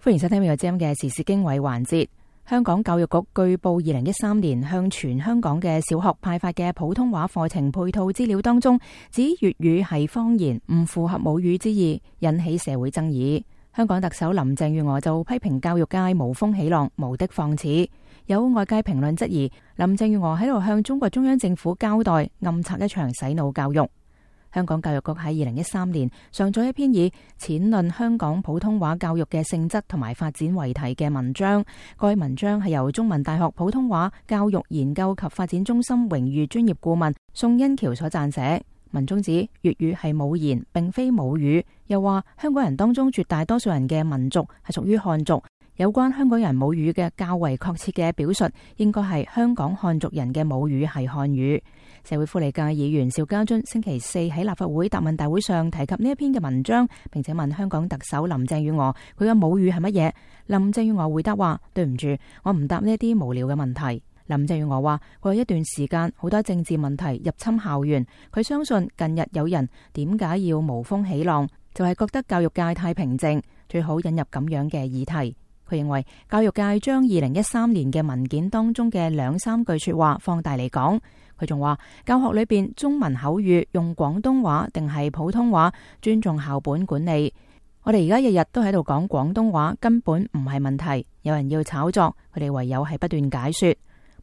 歡迎收聽呢個節目嘅時事經緯環節。香港教育局據報2013年向全香港嘅小學派發嘅普通話課程配套資料當中，指粵語係方言，唔符合母語之意，引起社會爭議。香港特首林鄭月娥就批評教育界無風起浪，無的放矢。有外界評論質疑林鄭月娥喺度向中國中央政府交代，暗策一場洗腦教育。香港教育局喺2013年上載一篇以淺論香港普通話教育嘅性質同埋發展為題嘅文章。該文章係由中文大學普通話教育研究及發展中心榮譽專業顧問宋欣橋所撰寫。文中指粵語係母言，並非母語，又話香港人當中絕大多數人嘅民族係屬於漢族。有關香港人母語嘅較為確切嘅表述，應該係香港漢族人嘅母語係漢語。社會福利界議員邵家臻星期四喺立法會答問大會上提及呢一篇嘅文章，並且問香港特首林鄭月娥佢嘅母語係乜嘢。林鄭月娥回答話：對唔住，我唔答呢啲無聊嘅問題。林鄭月娥話：過去一段時間好多政治問題入侵校園，佢相信近日有人點解要無風起浪，就係覺得教育界太平靜，最好引入咁樣嘅議題。佢認為教育界將2013年嘅文件當中嘅2-3句說話放大嚟講。佢仲話教學裏邊中文口語用廣東話定係普通話，尊重校本管理。我哋而家日日都喺度講廣東話，根本唔係問題。有人要炒作，佢哋唯有係不斷解說。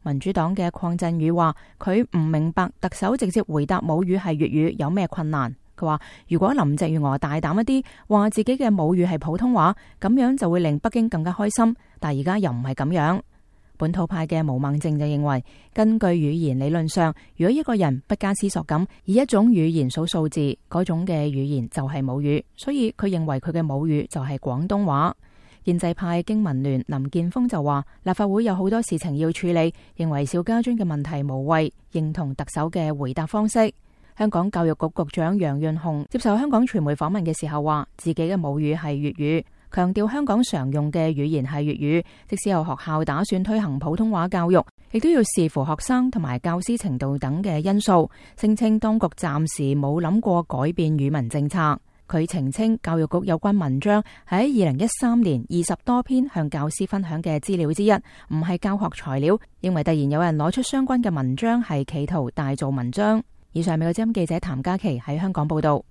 民主黨嘅鄺振宇話佢唔明白特首直接回答母語係粵語有咩困難。佢話如果林鄭月娥大膽一啲，話自己嘅母語係普通話，咁樣就會令北京更加開心。但而家又唔係咁樣。本土派嘅毛孟靜就認為，根據語言理論上，如果一個人不加思索咁以一種語言數數字，嗰種嘅語言就係母語，所以佢認為佢嘅母語就係廣東話。建制派經民聯林健鋒就話，立法會有好多事情要處理，認為邵家臻嘅問題無謂，認同特首嘅回答方式。香港教育局局長楊潤雄接受香港傳媒訪問嘅時候話，自己嘅母語係粵語，強調香港常用嘅語言係粵語，即使有學校打算推行普通話教育，亦都要視乎學生同埋教師程度等嘅因素。聲稱當局暫時冇諗過改變語文政策。佢澄清教育局有關文章喺2013年20多篇向教師分享嘅資料之一，唔係教學材料，認為突然有人攞出相關嘅文章係企圖大做文章。以上美國之音記者譚嘉琪喺香港報道。